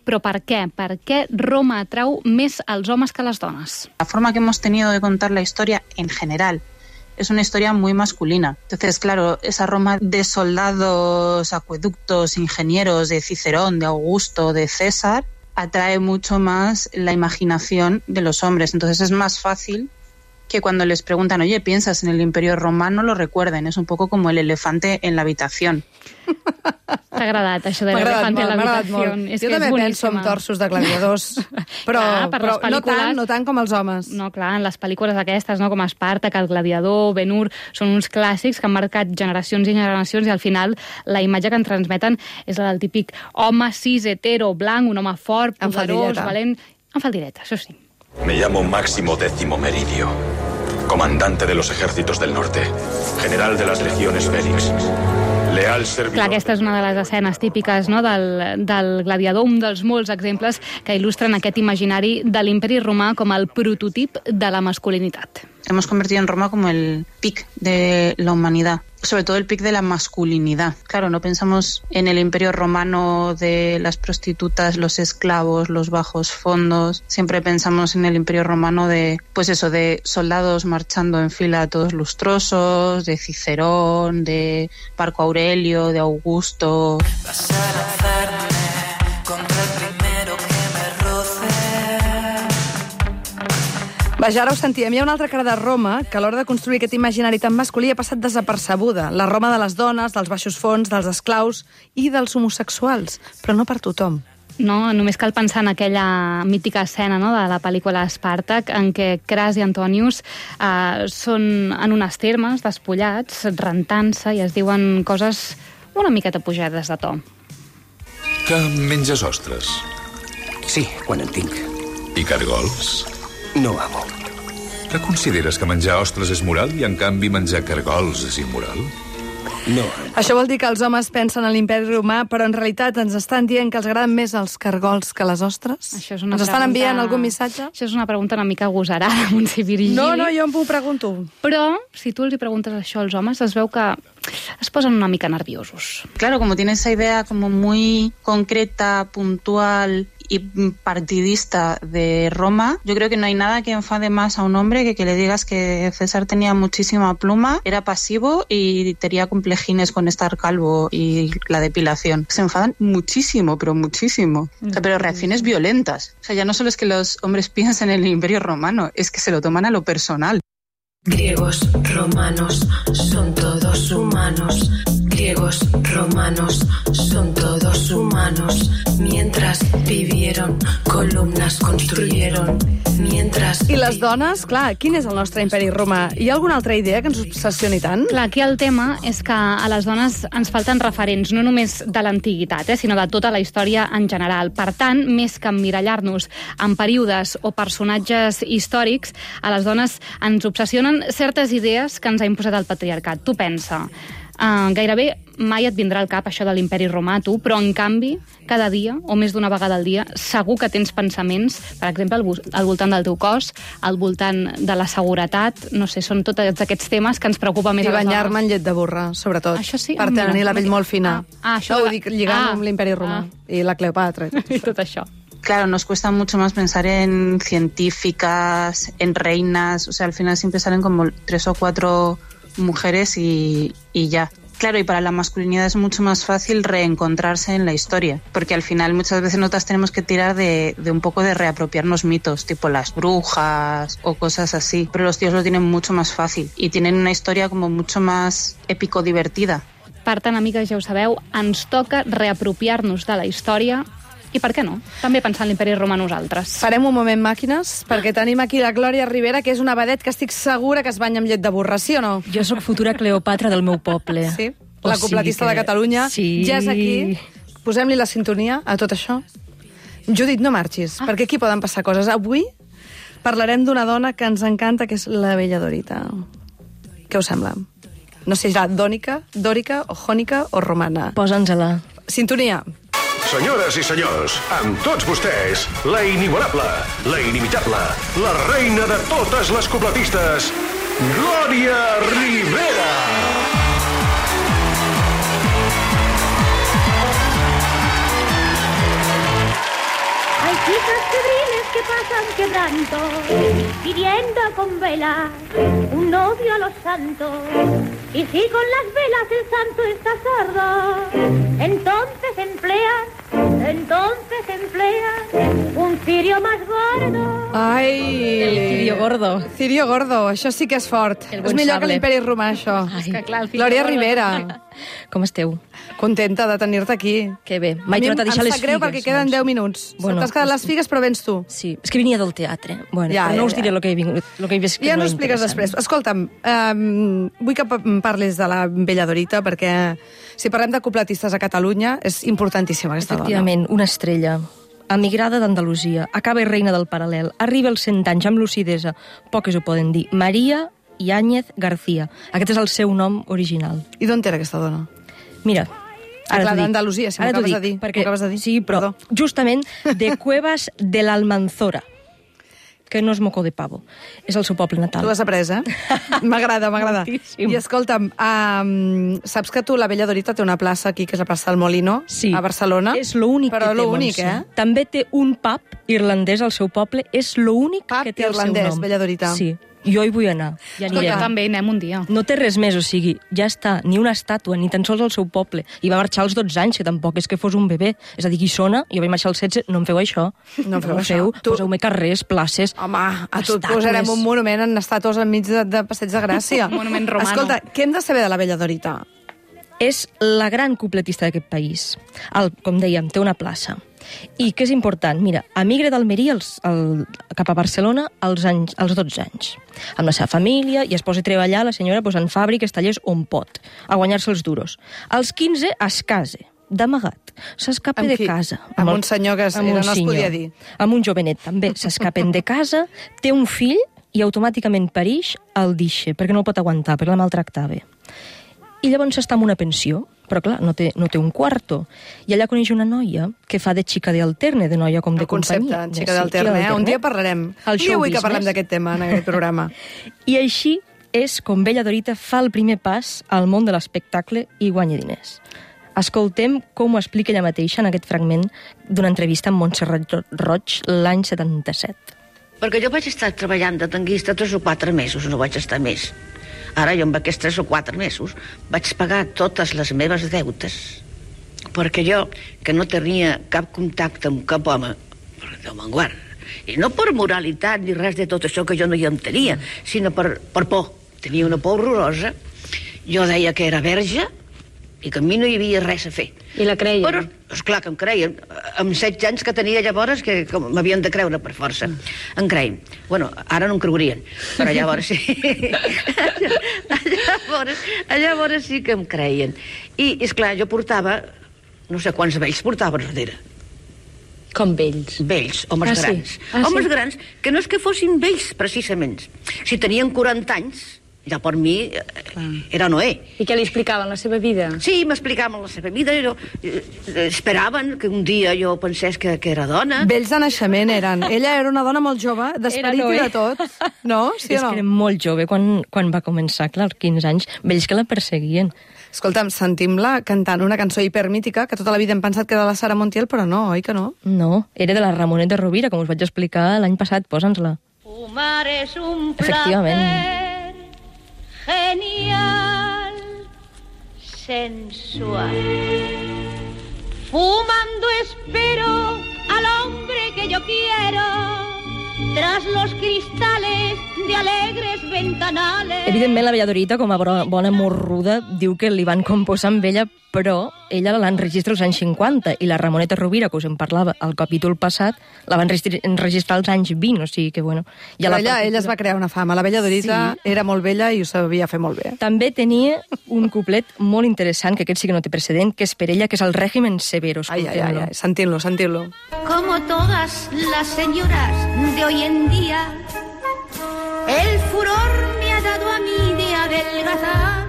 Però per què? Per què Roma atrau més als homes que a les dones? La forma que hemos tenido de contar la historia en general es una historia muy masculina. Entonces, claro, esa Roma de soldados, acueductos, ingenieros, de Cicerón, de Augusto, de César, atrae mucho más la imaginación de los hombres. Entonces es más fácil que cuando les preguntan, oye, ¿piensas en el Imperio Romano?, lo recuerden. Es un poco como el elefante en la habitación. T'ha agradat, això de l'elefant en l'habitació. Jo també penso en torsos de gladiadors, però, clar, per però no, tant, no tant com els homes. No, clar, en les pel·lícules aquestes, no, com Espàrtac, El gladiador, Ben-Hur, són uns clàssics que han marcat generacions i generacions, i al final la imatge que en transmeten és la del típic home cis, hetero, blanc, un home fort, poderós, valent... En faldilleta, això sí. Me llamo Máximo Décimo Meridio, comandante de los ejércitos del norte, general de las legiones Félix. Leal servidor... Clar, aquesta és una de les escenes típiques, no, del, del gladiador, un dels molts exemples que il·lustren aquest imaginari de l'imperi romà com el prototip de la masculinitat. Hemos convertido en Roma como el pic de la humanidad, sobre todo el pic de la masculinidad. Claro, no pensamos en el imperio romano de las prostitutas, los esclavos, los bajos fondos. Siempre pensamos en el imperio romano de, pues eso, de soldados marchando en fila todos lustrosos, de Cicerón, de Marco Aurelio, de Augusto. Vaja, ara ho sentíem. Hi ha una altra cara de Roma que a l'hora de construir aquest imaginari tan masculí ha passat desapercebuda. La Roma de les dones, dels baixos fons, dels esclaus i dels homosexuals. Però no per tothom. No, només cal pensar en aquella mítica escena, no?, de la pel·lícula Espàrtac, en què Cras i Antonius eh, són en unes termes, despullats, rentant-se, i es diuen coses una miqueta pujades de to. Que menges ostres? Sí, quan en tinc. I cargols? No amo. Que consideres que menjar ostres és moral i, en canvi, menjar cargols és immoral? No. Això vol dir que els homes pensen en l'imperi romà, però en realitat ens estan dient que els agraden més els cargols que les ostres? Això és una ens estan pregunta... enviant algun missatge? Això és una pregunta una mica agosarada, Montse Virgili. No, no, jo m'ho pregunto. Però, si tu els hi preguntes això als homes, es veu que es posen una mica nerviosos. Claro, como tiene esa idea como muy concreta, puntual y partidista de Roma, yo creo que no hay nada que enfade más a un hombre que que le digas que César tenía muchísima pluma, era pasivo y tenía complejines con estar calvo y la depilación. Se enfadan muchísimo, pero muchísimo. O sea, pero reacciones violentas. O sea, ya no solo es que los hombres piensen en el Imperio Romano, es que se lo toman a lo personal. Griegos, romanos, son todos humanos. Griegos, romanos, son todos humanos. Mientras vivieron, columnas construyeron. Mientras... I les dones, clar, quin és el nostre imperi romà? Hi ha alguna altra idea que ens obsessioni tant? Clar, aquí el tema és que a les dones ens falten referents, no només de l'antiguitat, eh, sinó de tota la història en general. Per tant, més que emmirallar-nos en períodes o personatges històrics, a les dones ens obsessionen certes idees que ens ha imposat el patriarcat. Tu pensa, uh, gairebé mai et vindrà al cap això de l'imperi romà, tu, però en canvi, cada dia, o més d'una vegada al dia, segur que tens pensaments, per exemple, al, al voltant del teu cos, al voltant de la seguretat, no sé, són tots aquests temes que ens preocupa més I a les dones. I banyar-me en llet de burra, sobretot. Això sí? Per Ah, tenir mira, la pell molt fina. Ah, ah, això no, de... ho dic lligant ah, amb l'imperi romà. Ah. I la Cleopatra. I tot, I tot això. Claro, nos cuesta mucho más pensar en científicas, en reinas, o sea, al final siempre salen como tres o cuatro mujeres y, y ya. Claro, y para la masculinidad es mucho más fácil reencontrarse en la historia, porque al final muchas veces nosotras tenemos que tirar de, de un poco de reapropiarnos mitos, tipo las brujas o cosas así, pero los tíos lo tienen mucho más fácil y tienen una historia como mucho más épico-divertida. Per tant, amigues, ja ho sabeu, ens toca reapropiar-nos de la història i per què no? També pensar en l'imperi romà nosaltres. Farem un moment màquines, perquè tenim aquí la Glòria Rivera, que és una vedet que estic segura que es banya amb llet de burra, sí o no? Jo sóc futura Cleopatra del meu poble. Sí? La copletista de Catalunya. Sí. Ja és aquí. Posem-li la sintonia a tot això. Judit, no marxis, ah. perquè aquí poden passar coses. Avui parlarem d'una dona que ens encanta, que és la Bella Dorita. Què us sembla? No sé si serà dònica, dòrica, o jònica o romana. Posa'ns-la. Sintonia. Senyores i senyors, amb tots vostès, la inigualable, la inimitable, la reina de totes les copletistes, Glòria Rivera! Hay chicas febriles que pasan quebrando, pidiendo con velas un novio a los santos. Y si con las velas el santo está sordo, entonces empleas, entonces empleas un cirio más gordo. Ai! El cirio gordo. Cirio gordo, això sí que és fort. El És millor que l'imperi romà, això. Ai, que clar, Glòria Rivera. Com esteu? Contenta de tenir-te aquí. Que bé. M'he tornat a deixar les figues. Em sap greu perquè queden deu minuts. Bueno, T'has quedat pues, les figues, però vens tu. Sí, és que venia del teatre. Bueno, ja, però no ja, us diré ja. el que he vingut. Lo que he vist que ja no no expliques després. Escolta'm, um, vull que parlis de la Bella Dorita, perquè si parlem de copletistes a Catalunya, és importantíssima aquesta dona. Efectivament, una estrella. Emigrada d'Andalusia, acaba reina del paral·lel, arriba als cent anys amb lucidesa, poques ho poden dir, Maria Yáñez García. Aquest és el seu nom original. I d'on era aquesta dona? Mira, ara clar, d'Andalusia, si m'ho acabes de dir. Perquè, acabes de dir. Sí, però Perdó. justament de Cuevas de l'Almanzora, que no és moco de pavo, és el seu poble natal. Tu l'has après, eh? M'agrada, m'agrada. Moltíssim. I escolta'm, um, saps que tu, la Bella Dorita, té una plaça aquí, que és la plaça del Molino, sí. a Barcelona? És l'únic que té, Però l'únic, eh? També té un pub irlandès al seu poble, és l'únic pub que té el irlandès, seu nom. Bella Dorita. Sí. Jo hi vull anar, ja anirem. Escolta, també anem un dia. No té res més, o sigui, ja està, ni una estàtua, ni tan sols al seu poble. I va marxar als dotze anys, que tampoc és que fos un bebè. És a dir, Guissona, jo vaig marxar als setze, no em feu això. No em feu no això. Feu, Tu... Poseu-me carrers, places... Home, a tu et posarem un monument en estàtues enmig de, de Passeig de Gràcia. Un monument romano. Escolta, què hem de saber de la Bella Dorita? És la gran cupletista d'aquest país. El, com dèiem, té una plaça. I què és important? Mira, emigra d'Almeria als, al, cap a Barcelona als, anys, als dotze anys, amb la seva família, i es posa a treballar la senyora pues, en fàbriques, tallers, on pot, a guanyar-se els duros. Als quinze es casa, d'amagat. S'escapa de casa. Amb, amb un senyor que era, no es podia dir. Amb un jovenet, també. S'escapen de casa, té un fill i automàticament parix el deixa, perquè no el pot aguantar, perquè la maltractava. I llavors està en una pensió, però clar, no té, no té un quarto. I allà coneix una noia que fa de xica d'alterne, de noia com de companyia. El concepte, xica d'alterne, eh? Un dia parlarem. Un dia vull que parlem d'aquest tema en aquest programa. I així és com Bella Dorita fa el primer pas al món de l'espectacle i guanya diners. Escoltem com ho explica ella mateixa en aquest fragment d'una entrevista amb Montserrat Roig l'any setanta-set. Perquè jo vaig estar treballant de tanguista tres o quatre mesos, no vaig estar més. Ara jo amb aquests tres o quatre mesos vaig pagar totes les meves deutes, perquè jo, que no tenia cap contacte amb cap home, Déu me'n guard, i no per moralitat ni res de tot això que jo no hi en tenia, sinó per, per por. Tenia una por horrorosa. Jo deia que era verge i que a mi no hi havia res a fer. I la creien? Però, esclar que em creien. Amb setze anys que tenia llavors, que m'havien de creure per força. Em creien. Bueno, ara no em creurien, però llavors sí. llavors, llavors sí que em creien. I, esclar, jo portava, no sé quants vells portava darrere. Com vells? Vells, homes ah, grans. Sí? Ah, homes sí? grans que no és que fossin vells, precisament. Si tenien quaranta anys, ja per mi era Noé. I què li explicaven, la seva vida? Sí, m'explicaven la seva vida. Jo, eh, esperaven que un dia jo pensés que, que era dona. Vells de naixement eren. Ella era una dona molt jove, d'esperit i de tot. No? Sí és o no? que era molt jove quan, quan va començar, clar, als quinze anys, vells que la perseguien. Escolta'm, sentim-la cantant una cançó hipermítica que tota la vida hem pensat que era de la Sara Montiel, però no, oi que no? No, era de la Ramoneta Rovira, com us vaig explicar l'any passat, posa'ns-la. Fumar és un Efectivament. Genial, sensual. Fumando espero al hombre que yo quiero, tras los cristales de alegres ventanales. Evidentment, la Bella Dorita, com a bona morruda, diu que li van composar amb ella, però ella l'enregistra als anys cinquanta, i la Ramoneta Rovira, que us en parlava al capítol passat, la van enregistrar als anys vint, o sigui que, bueno... Ja però la ella, partitura... ella es va crear una fama. La Bella Dorita sí. Era molt bella i ho sabia fer molt bé. També tenia un couplet molt interessant, que aquest sí que no té precedent, que és per ella, que és el Régimen Severo. Ai, ai, ai, ai. Sentim-lo, sentim-lo. Como todas las señoras de hoy en día, el furor me ha dado a mí de adelgazar,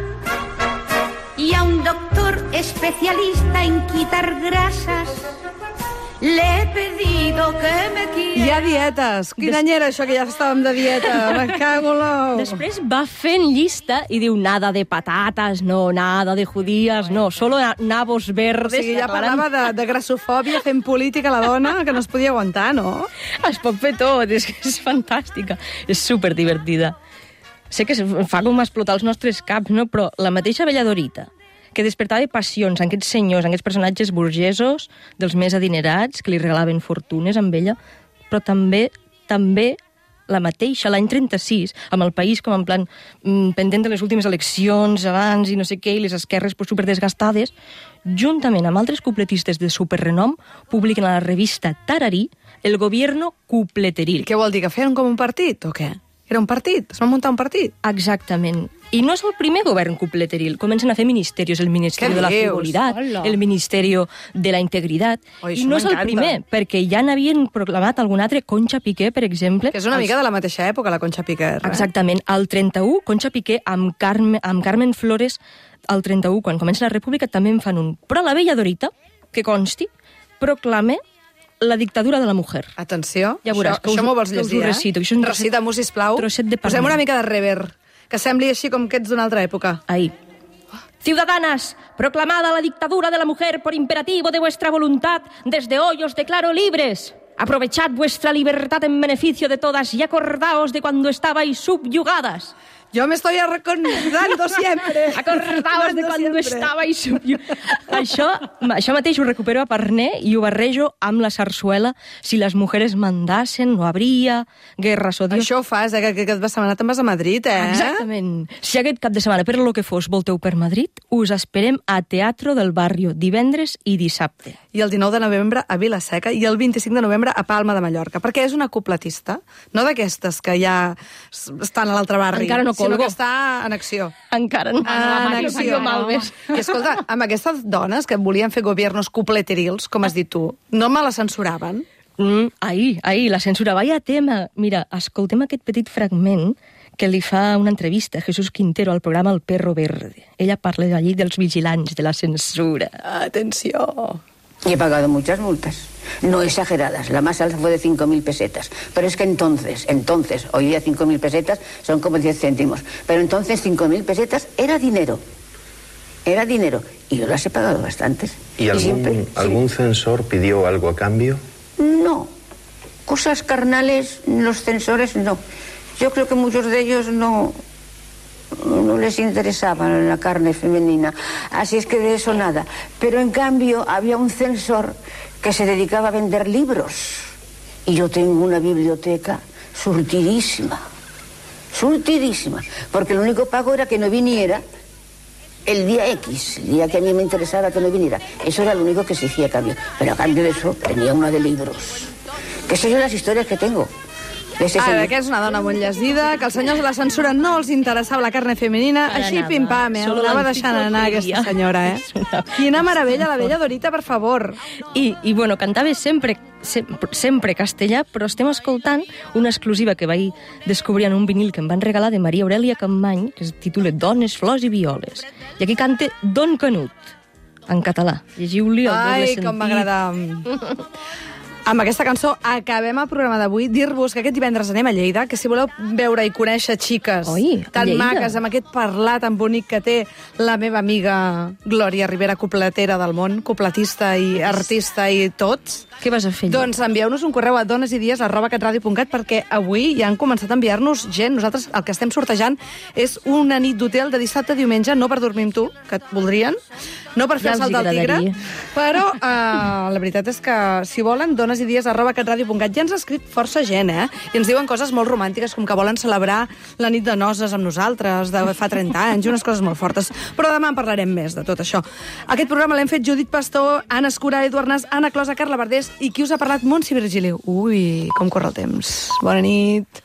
y a un doctor especialista en quitar grasas le he pedido que me quiera. Hi ha dietes. Quin Des... any era això que ja estàvem de dieta? Me cago en l'ou. Després va fent llista i diu nada de patates, no, nada de judías, no, solo nabos verdes. O sigui, ja parlava de, de grassofòbia fent política la dona, que no es podia aguantar, no? Es pot fer tot, és, és fantàstica. És superdivertida. Sé que fa com explotar els nostres caps, no? Però la mateixa Bella Dorita, que despertava passions en aquests senyors, en aquests personatges burgesos, dels més adinerats, que li regalaven fortunes amb ella, però també també la mateixa, l'any trenta-sis, amb el país com en plan mm, pendent de les últimes eleccions abans i no sé què, i les esquerres pues, superdesgastades, juntament amb altres cupletistes de superrenom, publiquen a la revista Tararí el gobierno cupleteril. I què vol dir, que feien com un partit o què? Era un partit? Es van muntar un partit? Exactament. I no és el primer govern cupleteril. Comencen a fer ministerios, el Ministeri de la Frivolitat, el Ministeri de la Integritat. Oh, I no és el primer, perquè ja n'havien proclamat algun altre, Concha Piqué, per exemple. Que és una els... mica de la mateixa època, la Concha Piqué. Eh? Exactament. Al trenta-u, Concha Piqué amb, Carme, amb Carmen Flores, al trenta-u, quan comença la República, també en fan un. Però la Bella Dorita, que consti, proclama la dictadura de la mujer. Atenció, ja veuràs, això, això m'ho vols llegir, eh? Recito, això un recita-m'ho, sisplau. Posem una mica de rever, que sembli així com que ets d'una altra època. Ahí. Ciudadanas, proclamada la dictadura de la mujer por imperativo de vuestra voluntad, desde hoy os declaro libres. Aprovechad vuestra libertad en beneficio de todas y acordaos de cuando estabais subyugadas. Jo me estoy recordando siempre. Acordaos de cuando estabais subyugadas. Això, això mateix ho recupero a Parné i ho barrejo amb la sarsuela. Si les mujeres mandasen, no habría guerras o Dios. Això ho fas, eh? Que aquest cap de setmana te'n vas a Madrid, eh? Exactament. Si aquest cap de setmana, per lo que fos, volteu per Madrid, us esperem a Teatro del Barrio, divendres i dissabte. I el dinou de novembre a Vila-seca i el vint-i-cinc de novembre a Palma de Mallorca, perquè és una copletista, no d'aquestes que ja estan a l'altre barri. Encara no sinó que està en acció. Encara no. En acció. I escolta, amb aquestes dones que volien fer gobiernos cupleterils, com has dit tu, no me la censuraven? Mm, ahir, ahir, la censura. Vaya tema. Mira, escoltem aquest petit fragment que li fa una entrevista a Jesús Quintero al programa El Perro Verde. Ella parla allí dels vigilants, de la censura. Atenció. Y he pagado muchas multas. No exageradas, la más alta fue de cinco mil pesetas. Pero es que entonces, entonces, hoy día cinco mil pesetas son como diez céntimos. Pero entonces cinco mil pesetas era dinero. Era dinero. Y yo las he pagado bastantes. ¿Y algún, y siempre, algún sí. censor pidió algo a cambio? No. Cosas carnales, los censores no. Yo creo que muchos de ellos no... no les interesaba la carne femenina, así es que de eso nada. Pero en cambio había un censor que se dedicaba a vender libros y yo tengo una biblioteca surtidísima, surtidísima, porque el único pago era que no viniera el día X, el día que a mí me interesaba que no viniera. Eso era lo único que se hacía a cambio, pero a cambio de eso tenía una de libros. Que esas son las historias que tengo. Ara, que és una dona molt llegida, que els senyors de la censura no els interessava la carne femenina, Para així nada. pim-pam, eh? Anava deixant anar aquesta senyora, eh? Quina meravella, la vella Dorita, per favor. I, i bueno, cantava sempre, sempre, sempre castellà, però estem escoltant una exclusiva que vaig descobrir en un vinil que em van regalar de Maria Aurelia Campmany, que es titula Dones, flors i violes. I aquí canta Don Canut, en català. Llegiu-li el doble sentit. Ai, com m'agrada. Amb aquesta cançó acabem el programa d'avui. Dir-vos que aquest divendres anem a Lleida, que si voleu veure i conèixer xiques Oi, tan Lleida. maques, amb aquest parlar tan bonic que té la meva amiga Glòria Rivera, copletera del món, copletista i artista i tots. Què vas a fer? Doncs envieu-nos un correu a donesidies arroba catradio punt cat perquè avui ja han començat a enviar-nos gent. Nosaltres el que estem sortejant és una nit d'hotel de dissabte a diumenge, no per dormir amb tu, que et voldrien, no per fer Ja el salt els del tigre, agradaria. però uh, la veritat és que, si volen, donesidies arroba catradio punt cat. Ja ens ha escrit força gent, eh? I ens diuen coses molt romàntiques, com que volen celebrar la nit de noces amb nosaltres, de fa trenta anys, unes coses molt fortes. Però demà en parlarem més de tot això. Aquest programa l'hem fet Judit Pastor, Anna Escura, Eduard Nas, Anna Closa, Carla Verdés, i qui us ha parlat? Montse Virgili. Ui, com corre el temps. Bona nit.